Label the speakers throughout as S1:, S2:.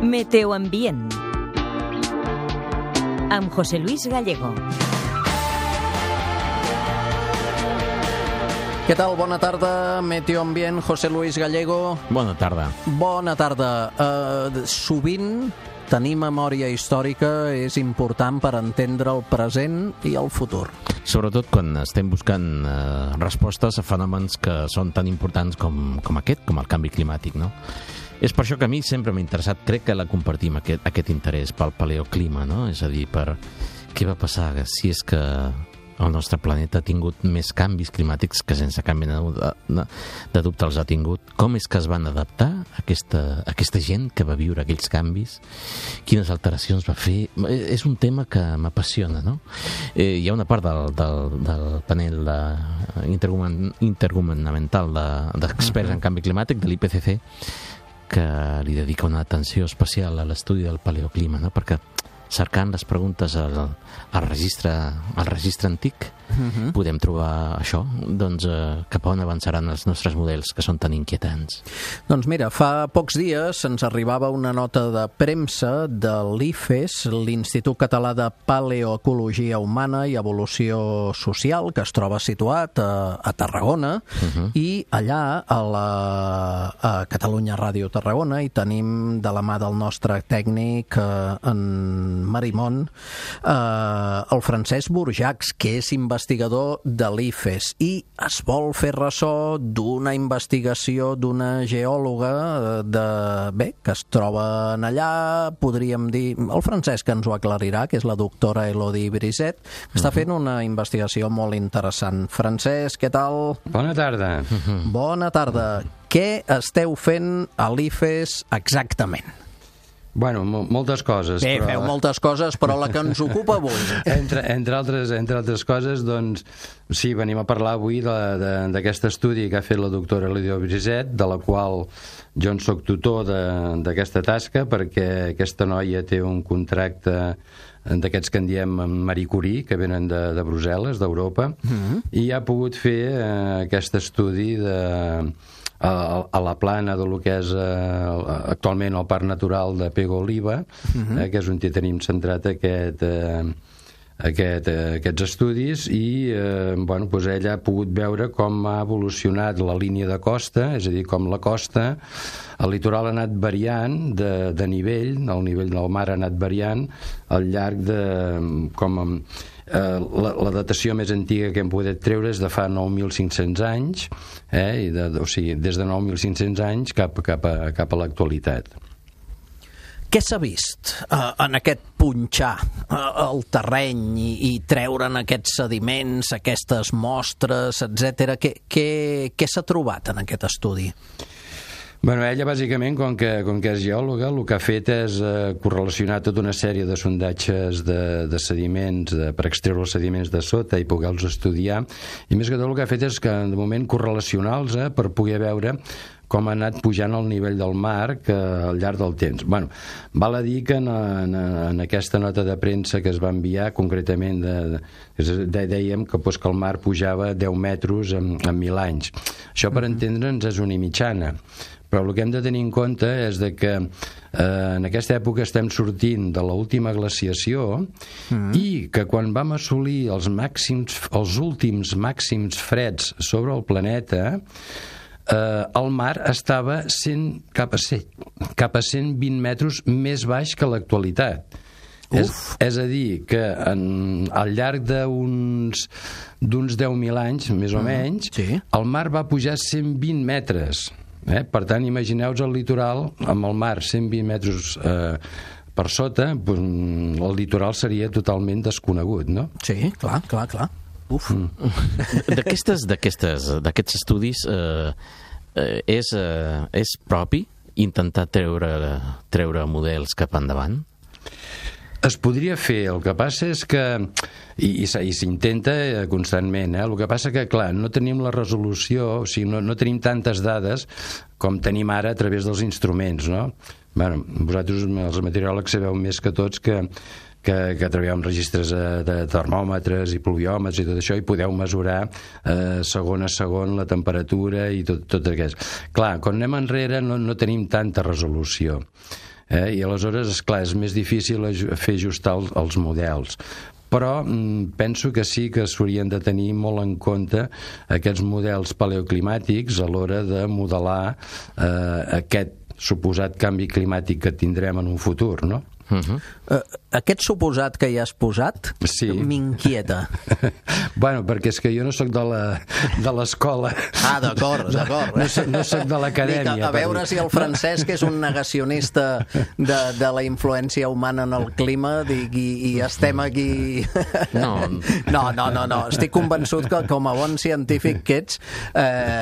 S1: Meteoambient amb José Luis Gallego.
S2: Què tal? Bona tarda, Meteoambient, José Luis Gallego.
S3: Bona tarda.
S2: Bona tarda. Sovint tenir memòria històrica és important per entendre el present i el futur.
S3: Sobretot quan estem buscant respostes a fenòmens que són tan importants com aquest, com el canvi climàtic, no? És per això que a mi sempre m'ha interessat, crec que la compartim, aquest interès pel paleoclima, no? És a dir, per què va passar si és que el nostre planeta ha tingut més canvis climàtics que sense cap mena de dubte els ha tingut. Com és que es van adaptar aquesta gent que va viure aquells canvis? Quines alteracions va fer? És un tema que m'apassiona, no? Hi ha una part del panel intergovernamental d'experts en canvi climàtic, de l'IPCC, que li dedica una atenció especial a l'estudi del paleoclima, no? Perquè cercant les preguntes al registre antic, podem trobar això, doncs cap a on avançaran els nostres models que són tan inquietants.
S2: Doncs mira, fa pocs dies ens arribava una nota de premsa de l'IFES, l'Institut Català de Paleoecologia Humana i Evolució Social, que es troba situat a Tarragona, i allà a Catalunya Ràdio Tarragona hi tenim de la mà del nostre tècnic en Marimón, el Francesc Burjacs, que és investigador de l'IFES, i es vol fer ressò d'una investigació d'una geòloga que es troba allà, podríem dir, el Francesc ens ho aclarirà, que és la doctora Elodie Brisset, que està fent una investigació molt interessant. Francesc, què tal?
S4: Bona tarda.
S2: Bona tarda. Què esteu fent a l'IFES exactament?
S4: Bueno, moltes coses.
S2: Bé,
S4: però...
S2: feu moltes coses, però la que ens ocupa avui.
S4: Entre altres coses, doncs, sí, venim a parlar avui d'aquest estudi que ha fet la doctora Elodie Brisset, de la qual jo en soc tutor d'aquesta tasca, perquè aquesta noia té un contracte d'aquests que en diem Marie Curie, que venen de Brussel·les, d'Europa, i ha pogut fer aquest estudi a la plana del que és actualment el Parc Natural de Pego Oliva, que és on tenim centrat aquests estudis, i ella ha pogut veure com ha evolucionat la línia de costa, és a dir, com la costa, el litoral ha anat variant de nivell, el nivell del mar ha anat variant al llarg de la datació més antiga que hem pogut treure és de fa 9.500 anys, o sigui, des de 9.500 anys cap a l'actualitat.
S2: Què s'ha vist en aquest punxar el terreny i treure'n aquests sediments, aquestes mostres, etc.? Què s'ha trobat en aquest estudi?
S4: Bueno, ella, bàsicament, com que és geòloga, el que ha fet és correlacionar tota una sèrie de sondatges de sediments, per extreure els sediments de sota i poder-los estudiar, i més que tot el que ha fet és que, de moment, correlacionar-los per poder veure com ha anat pujant el nivell del mar al llarg del temps. Bueno, val a dir que en aquesta nota de premsa que es va enviar, concretament dèiem que el mar pujava 10 metres en 1.000 anys. Això, per entendre'ns, és una mitjana. Però el que hem de tenir en compte és que en aquesta època estem sortint de l'última glaciació i que quan vam assolir els últims màxims freds sobre el planeta, el mar estava cap a 120 metres més baix que l'actualitat. És a dir, que al llarg d'uns 10.000 anys, més o menys, el mar va pujar 120 metres. Per tant, imagineu-vos el litoral amb el mar 120 metres per sota, el litoral seria totalment desconegut, no?
S2: Sí, clar. Uf.
S3: D'aquests estudis és propi intentar treure models cap endavant?
S4: Es podria fer, el que passa és que i s'intenta constantment, el que passa que, clar, no tenim la resolució, o sigui, no tenim tantes dades com tenim ara a través dels instruments, no? Bueno, vosaltres, els meteoròlegs, sabeu més que tots que treballeu amb registres de termòmetres i pluviòmetres i tot això, i podeu mesurar segon a segon la temperatura i tot aquest. Clar, quan anem enrere no tenim tanta resolució. I aleshores, esclar, és més difícil fer ajustar els models. Però penso que sí que s'haurien de tenir molt en compte aquests models paleoclimàtics a l'hora de modelar aquest suposat canvi climàtic que tindrem en un futur, no?
S2: Aquest suposat que hi has posat m'inquieta.
S4: Bueno, perquè és que jo no sóc de l'escola.
S2: D'acord.
S4: No sóc de l'acadèmia.
S2: A veure si el Francesc és un negacionista de la influència humana en el clima i estem aquí... No. Estic convençut que com a bon científic que ets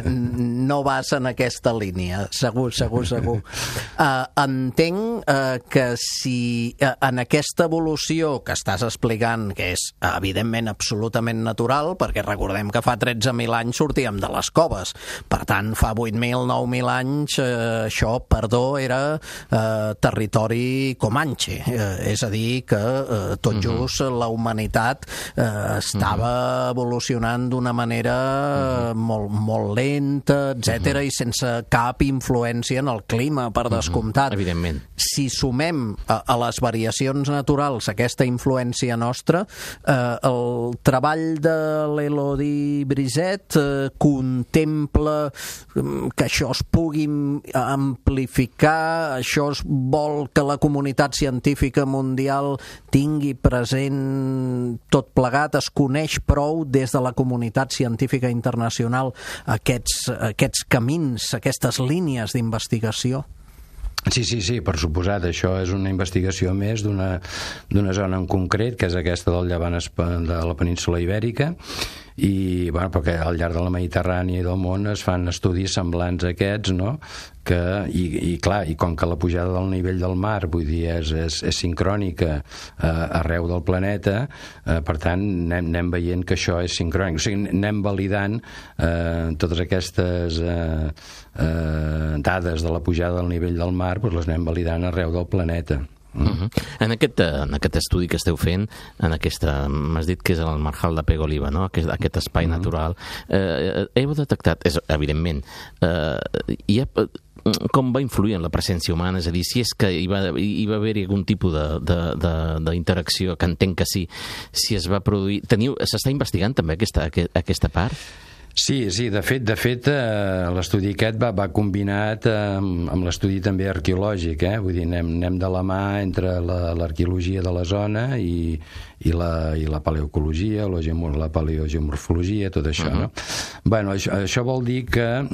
S2: no vas en aquesta línia. Segur. Entenc que si en aquesta evolució que estàs explicant, que és evidentment absolutament natural, perquè recordem que fa 13.000 anys sortíem de les coves, per tant fa 8.000, 9.000 anys això, era territori comanche, és a dir que tot just la humanitat estava evolucionant d'una manera molt lenta, etc., i sense cap influència en el clima, per descomptat.
S3: Evidentment.
S2: Si sumem a les variacions naturals aquesta influència nostra, el treball de l'Elodie Brisset contempla que això es pugui amplificar, això es vol que la comunitat científica mundial tingui present tot plegat, es coneix prou des de la comunitat científica internacional aquests camins, aquestes línies d'investigació?
S4: Sí, per suposat. Això és una investigació més d'una zona en concret, que és aquesta del llevant de la península Ibèrica, i perquè al llarg de la Mediterrània i del món es fan estudis semblants a aquests, no? I com que la pujada del nivell del mar, vull dir, és sincrònica arreu del planeta, per tant anem veient que això és sincrònic, o sigui, anem validant totes aquestes dades de la pujada del nivell del mar, doncs les anem validant arreu del planeta.
S3: En aquest estudi que esteu fent, m'has dit que és el Marjal de Pego-Oliva, no? Aquest espai natural, heu detectat, evidentment, com va influir en la presència humana? És a dir, si és que hi va haver-hi algun tipus d'interacció, que entenc que sí, si es va produir... S'està investigant també aquesta part?
S4: Sí, de fet l'estudi aquest va combinat amb l'estudi també arqueològic, vull dir, anem de la mà entre l'arqueologia de la zona i la paleoecologia, la paleogeomorfologia, tot això, no? Bueno, això vol dir que,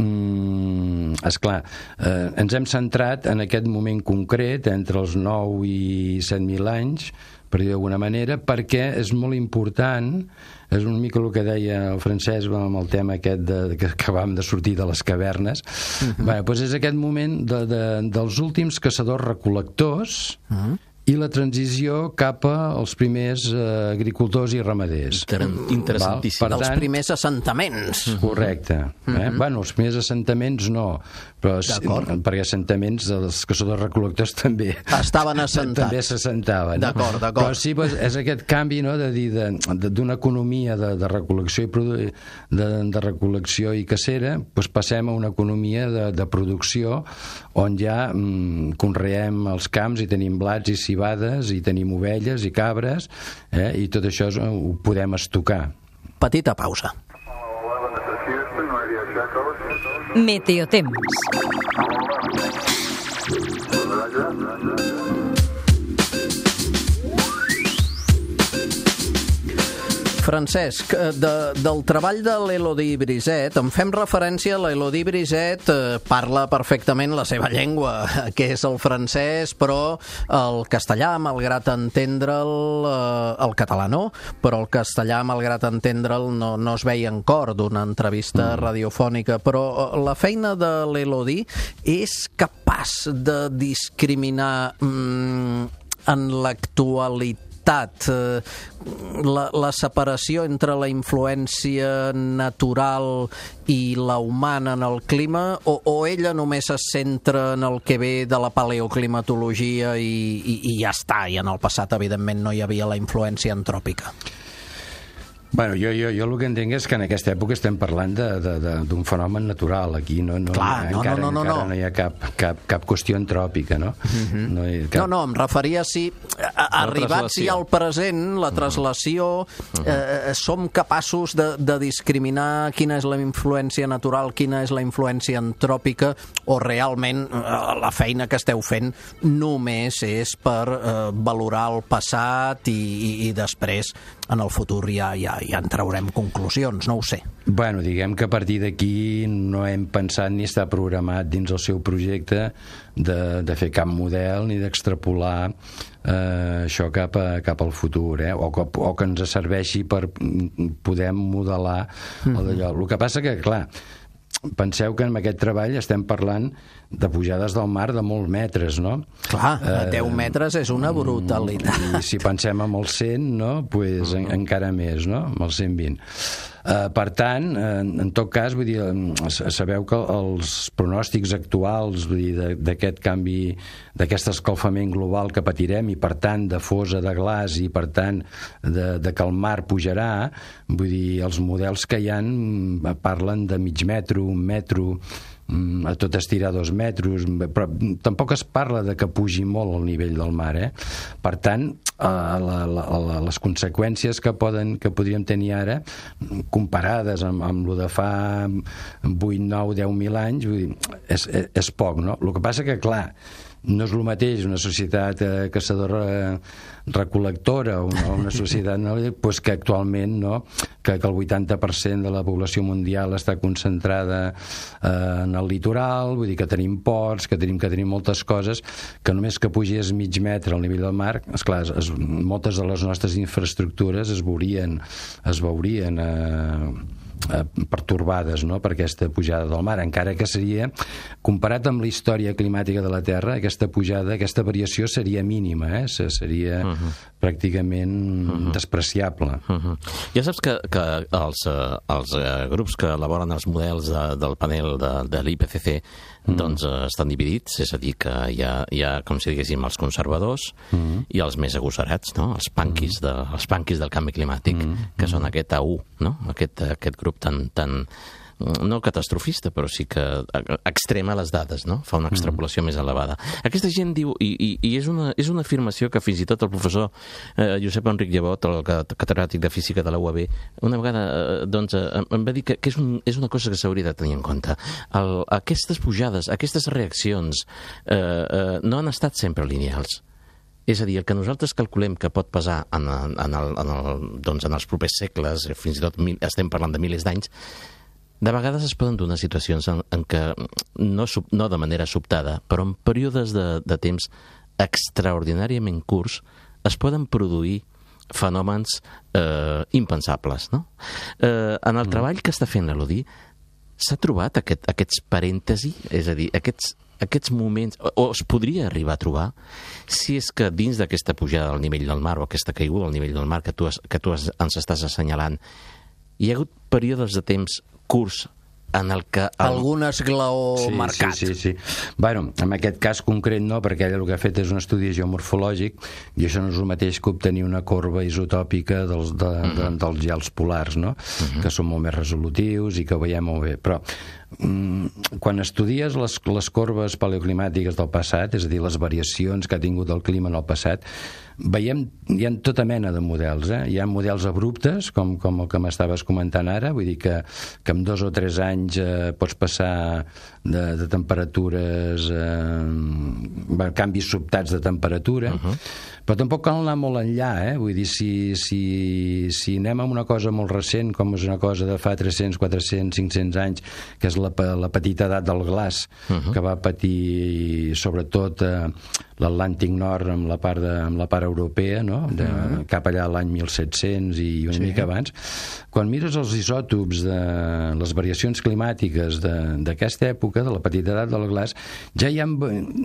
S4: esclar, ens hem centrat en aquest moment concret, entre els 9 i 7.000 anys, per dir d'alguna manera, perquè és molt important, és una mica el que deia el Francesc amb el tema aquest que acabàvem de sortir de les cavernes. Doncs és aquest moment dels últims caçadors-recol·lectors i la transició cap als primers agricultors i ramaders.
S3: Interessantíssim.
S2: Dels primers assentaments.
S4: Correcte. Bueno, els primers assentaments no, però perquè assentaments els caçadors-recol·lectors també estaven assentats. També s'assentaven.
S2: D'acord.
S4: Però sí, és aquest canvi, no?, de dir d'una economia de recol·lecció i cacera, passem a una economia de producció on ja conreem els camps i tenim blats i civades i tenim ovelles i cabres, i tot això ho podem estocar.
S2: Petita pausa.
S1: Meteotemps.
S2: Francesc, del treball de l'Elodie Brisset, en fem referència. L'Elodie Brisset parla perfectament la seva llengua, que és el francès, però el castellà, malgrat entendre'l, el català no, però el castellà, malgrat entendre'l, no es veia en cor d'una entrevista radiofònica. Però la feina de l'Elodie és capaç de discriminar en l'actualitat la separació entre la influència natural i la humana en el clima, o ella només es centra en el que ve de la paleoclimatologia i ja està, i en el passat evidentment no hi havia la influència antròpica?
S4: Bueno, jo el que entenc és que en aquesta època estem parlant d'un fenomen natural. Aquí encara no hi ha cap qüestió antròpica, no?
S2: No, em referia si arribats ja al present, la traslació, som capaços de discriminar quina és la influència natural, quina és la influència antròpica, o realment la feina que esteu fent només és per valorar el passat i després en el futur ja en traurem conclusions, no ho sé.
S4: Bueno, diguem que a partir d'aquí no hem pensat ni està programat dins el seu projecte de fer cap model ni d'extrapolar això cap al futur, o que ens serveixi per poder modelar d'allò. El que passa que, clar, penseu que en aquest treball estem parlant de pujades del mar de molts metres, no?
S2: Clar, 10 metres és una brutalitat.
S4: I si pensem en els 100, no? Pues encara més, no? Amb els 120. Per tant, en tot cas, vull dir, sabeu que els pronòstics actuals, vull dir, d'aquest canvi, d'aquest escalfament global que patirem, i per tant de fosa de glaç, i per tant de que el mar pujarà, vull dir, els models que hi ha parlen de mig metro, un metro, a tot estirar 2 metres, però tampoc es parla de que pugi molt el nivell del mar, Per tant, les conseqüències que podríem tenir ara, comparades amb el de fa 8, 9, 10.000 anys, vull dir, és poc, no? El que passa que, clar, no és el mateix una societat caçadora-recol·lectora o una societat pues que actualment, no? que el 80% de la població mundial està concentrada en el litoral, vull dir que tenim ports, que tenim moltes coses, que només que pugés mig metre al nivell del mar, esclar, moltes de les nostres infraestructures es veurien pertorbades, no?, per aquesta pujada del mar, encara que seria, comparat amb la història climàtica de la Terra, aquesta pujada, aquesta variació seria mínima, seria pràcticament despreciable.
S3: Ja saps que els grups que elaboren els models del panel de l'IPCC doncs estan dividits, és a dir, que hi ha com si diguéssim, els conservadors i els més agosarats, no?, els punkis del canvi climàtic, que són aquest A1, no?, aquest grup tan no catastrofista, però sí que extrema les dades, no? Fa una extrapolació més elevada. Aquesta gent diu, i és una afirmació que fins i tot el professor Josep Enric Llevot, el catedràtic de física de la UAB, una vegada doncs, em va dir que és una cosa que s'hauria de tenir en compte. Aquestes pujades, aquestes reaccions no han estat sempre lineals. És a dir, el que nosaltres calculem que pot passar en els propers segles, fins i tot estem parlant de milers d'anys, de vegades es poden donar situacions en què, no de manera sobtada, però en períodes de temps extraordinàriament curts, es poden produir fenòmens impensables, no? En el treball que està fent l'Elodie, s'ha trobat aquests parèntesi, és a dir, aquests moments, o es podria arribar a trobar, si és que dins d'aquesta pujada del nivell del mar, o aquesta caiguda del nivell del mar que tu ens estàs assenyalant, hi ha hagut períodes de temps curts en el que...
S2: Algun esglaó marcat.
S4: Sí. Bueno, en aquest cas concret no, perquè ella el que ha fet és un estudi geomorfològic, i això no és el mateix que obtenir una corba isotòpica dels gels polars, no? Que són molt més resolutius i que ho veiem molt bé. Però quan estudies les corbes paleoclimàtiques del passat, és a dir, les variacions que ha tingut el clima en el passat, veiem, hi ha tota mena de models, Hi ha models abruptes, com el que m'estaves comentant ara, vull dir que en 2 o 3 anys pots passar de temperatures, canvis sobtats de temperatura, però tampoc cal anar molt enllà, vull dir, si anem amb una cosa molt recent, com és una cosa de fa 300, 400, 500 anys, que és la petita edat del glaç, que va patir sobretot l'Atlàntic Nord amb la part europea, no? Cap allà l'any 1700 i una mica abans. Quan mires els isòtops de les variacions climàtiques d'aquesta època, de la petita edat del glaç, ja hi ha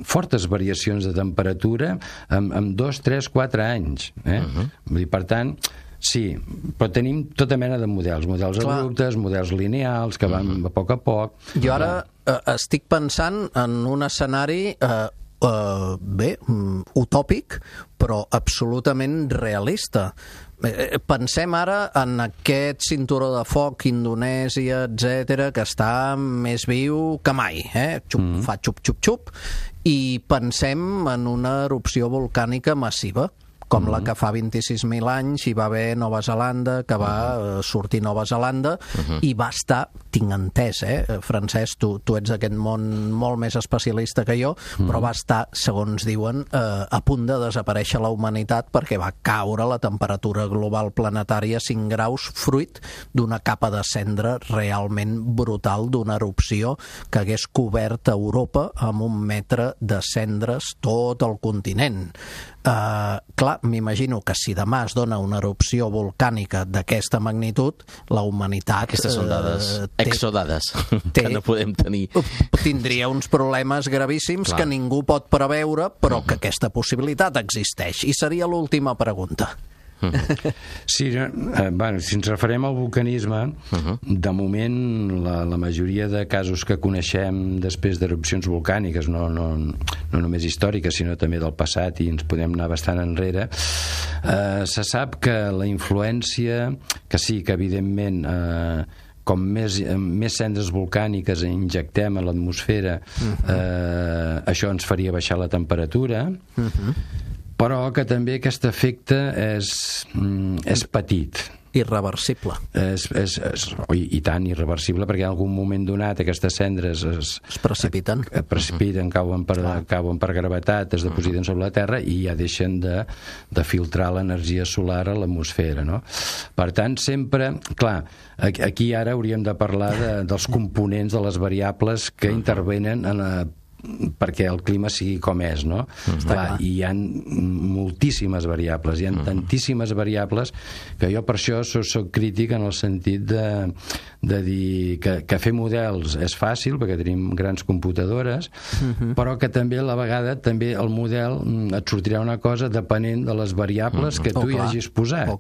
S4: fortes variacions de temperatura en 2, 3, 4 anys. Vull dir, per tant, sí, però tenim tota mena de models abruptes, models lineals, que van a poc.
S2: Jo ara estic pensant en un escenari utòpic, però absolutament realista, pensem ara en aquest cinturó de foc, Indonèsia, etc, que està més viu que mai, fa xup-xup-xup, i pensem en una erupció volcànica massiva, com la que fa 26.000 anys hi va haver Nova Zelanda, que va sortir Nova Zelanda, i va estar, tinc entès, Francesc, tu ets d'aquest món molt més especialista que jo, però va estar, segons diuen, a punt de desaparèixer la humanitat perquè va caure la temperatura global planetària 5 graus, fruit d'una capa de cendra realment brutal, d'una erupció que hagués cobert Europa amb 1 metre de cendres tot el continent. Clar, m'imagino que si demà es dona una erupció volcànica d'aquesta magnitud, la humanitat...
S3: Aquestes són dades, exodades, que no podem tenir.
S2: Tindria uns problemes gravíssims que ningú pot preveure, però que aquesta possibilitat existeix. I seria l'última pregunta.
S4: Sí, bueno, si ens referem al vulcanisme, de moment la majoria de casos que coneixem després d'erupcions volcàniques, no només històriques sinó també del passat, i ens podem anar bastant enrere, se sap que la influència, que sí, que evidentment com més cendres volcàniques injectem a l'atmosfera, això ens faria baixar la temperatura, però que també aquest efecte és petit.
S2: Irreversible.
S4: I tant, irreversible, perquè en algun moment donat aquestes cendres es precipiten, cauen per gravetat, es depositen sobre la Terra i ja deixen de filtrar l'energia solar a l'atmosfera, no? Per tant, sempre, clar, aquí ara hauríem de parlar dels components, de les variables que intervenen perquè el clima sigui com és, no? Clar, i hi ha moltíssimes variables, hi ha tantíssimes variables que jo per això soc crític en el sentit de dir que fer models és fàcil perquè tenim grans computadores, però que també a la vegada també el model et sortirà una cosa depenent de les variables que tu hi hagis posat.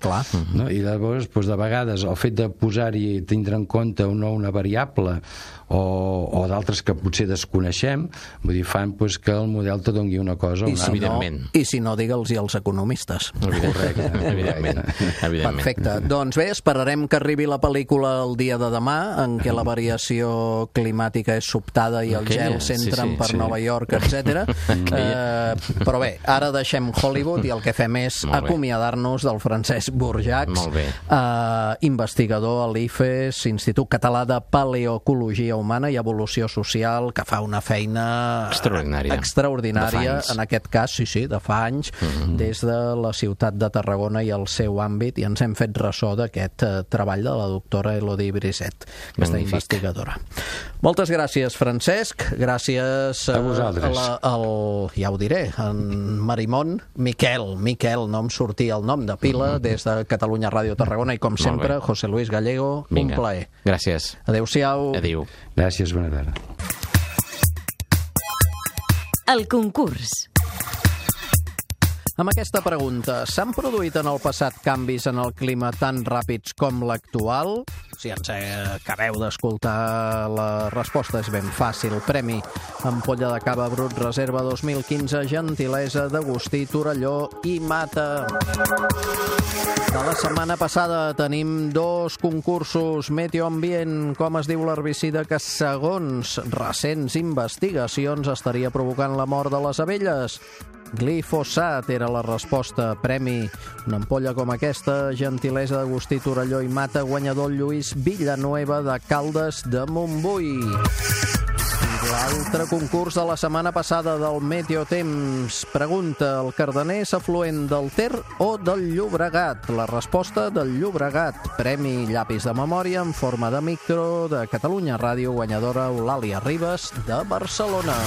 S4: No? I llavors, de vegades, el fet de posar-hi, tindre en compte o no una variable o d'altres que potser desconeixem, vull dir, fan que el model te doni una cosa o una altra.
S2: I si no, digue'ls als economistes.
S4: Correcte, evidentment.
S2: Perfecte. Doncs bé, esperarem que arribi la pel·lícula el dia de demà, en què la variació climàtica és sobtada i els gels entren per Nova York, etc. Però bé, ara deixem Hollywood i el que fem és acomiadar-nos del Francesc Burjacs, investigador a l'IFES, Institut Català de Paleoecologia Humana i Evolució Social, que fa una feina extraordinària, en aquest cas, de fa anys, des de la ciutat de Tarragona i el seu àmbit, i ens hem fet ressò d'aquest treball de la doctora Elodie Brisset, aquesta investigadora. Moltes gràcies, Francesc. Gràcies
S4: a vosaltres.
S2: Ja ho diré, en Marimón, Miquel, no em sortia el nom de pila, des de Catalunya Ràdio Tarragona, i com sempre, José Luis Gallego, un plaer.
S3: Gràcies.
S2: Adéu-siau.
S3: Adéu.
S4: Gràcies, bona tarda.
S1: El concurs.
S2: Amb aquesta pregunta, s'han produït en el passat canvis en el clima tan ràpids com l'actual? Si ens acabeu d'escoltar, la resposta és ben fàcil. Premi Ampolla de Cava Brut Reserva 2015, gentilesa d'Agustí Torelló i Mata. De la setmana passada tenim 2 concursos. Meteoambient, com es diu l'herbicida que segons recents investigacions estaria provocant la mort de les abelles? Glifosat era la resposta. Premi una ampolla com aquesta, gentilesa d'Agustí Torelló i Mata, guanyador Lluís Villanueva de Caldes de Montbui. L'altre concurs de la setmana passada del Meteotemps. Pregunta: el Cardener és afluent del Ter o del Llobregat? La resposta: del Llobregat. Premi llapis de memòria en forma de micro de Catalunya Ràdio, guanyadora Eulàlia Ribas de Barcelona.